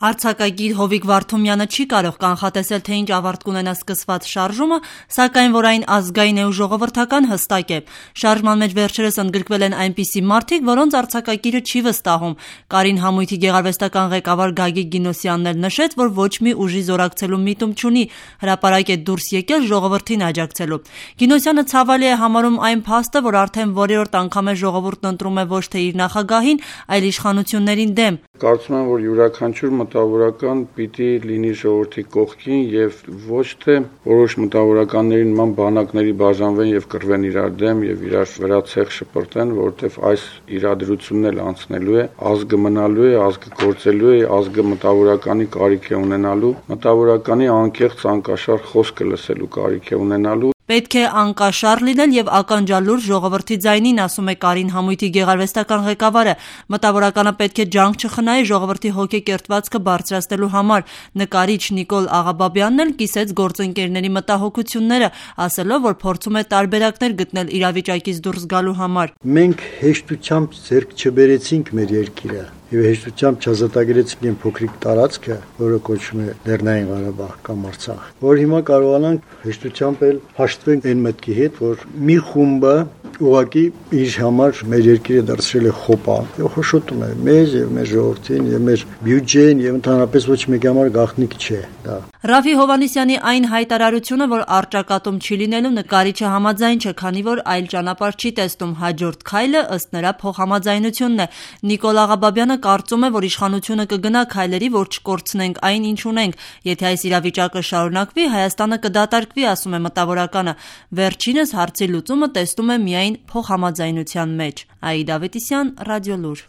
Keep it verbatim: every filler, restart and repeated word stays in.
Արձակագիր Հովիկ Վարդումյանը չի կարող կանխատեսել, թե ինչ ավարտ կունենա սկսված շարժումը, սակայն որ այն ազգային է ու ժողովրդական հստակ է։ Շարժման մեջ վերջերս ընդգրկվել են այնպիսի մարդիկ, որոնց արձակագիրը չի վստահում։ Կարին համույթի գեղարվեստական ղեկավար Գագիկ Գինոսյանն էլ նշեց, որ ոչ մի ուժի զորակցելու միտում չունի, հրապարակ է դուրս եկել ժողովրդին աջակցելու։ Գինոսյանը ցավալի է համարում այն փաստը, որ արդեն որերորդ անգամ է ժողովուրդն ընտրում է ոչ թե իր նախագահին, այլ իշխանություններին դեմ։ Կարծում եմ, որ յուրաքանչյուր մտավորական պիտի լինի ժողովրդի կողքին եւ ոչ թե որոշ մտավորականների նման բանակների բաժանվեն եւ կռվեն իրար դեմ եւ իրար վրա ցեղ շպրտեն, որովհետեւ այս իրադրությունն էլ անցնելու է, ազգը մնալու է, ազգը գործելու է, ազգը մտավորականի կարիք է ունենալու, մտավորականի անկեղծ անկաշար խոսքը լսելու կարիք է ունենալու։ Պետք է անկաշար լինել եւ ականջալուր ժողովրդի ձայնին, ասում է Կարին համույթի գեղարվեստական ղեկավարը։ Մտավորականը պետք է ջանք չխնայի ժողովրդի հոգեկերտվածքը բարձրացնելու համար։ Նկարիչ Նիկոլ Աղաբաբյանն էլ կիսեց գործընկերների մտահոգությունները, ասելով, որ փորձում է տարբերակներ գտնել իրավիճակից դուրս գալու համար։ Մենք հեշտությամբ ձեռք չբերեցինք մեր երկիրը եւ հեշտությամբ չազատագրեցինք այն փոքրիկ տարածքը, որը կոչվում է Լեռնային Ղարաբաղ կամ Արցախ, որ հիմա կարողանանք հեշտությամբ էլ հաշտվենք այն մտքի հետ, որ մի խումբը ուղղակի իր համար մեր երկիրը դարձրել է խոպա եւ խոշոտում է մեզ եւ մեր ժողովրդին եւ մեր բյուջեն եւ ընդհանրապես ոչ մեկի համար գաղտնիք չէ դա։ Ռաֆի Հովհաննիսյանի այն հայտարարությունը, որ առճակատում չի լինելու, նկարիչը համաձայն չէ, քանի որ այլ ճանապարհ չի տեսնում։ Հաջորդ քայլը ըստ նրա փոխհամաձայնությունն է։ Նիկոլ Աղաբաբյանը կարծում է, որ իշխանությունը կգնա քայլերի, որ չկորցնենք այն, ինչ ունենք։ Եթե այս իրավիճակը շարունակվի, Հայաստանը կդատարկվի, ասում է մտավորականը։ Վերջինս հարցի լուծումը տեսնում է միայն փոխհամաձայնության մեջ։ Աիդա Ավետիսյան, Ռադիոլուր։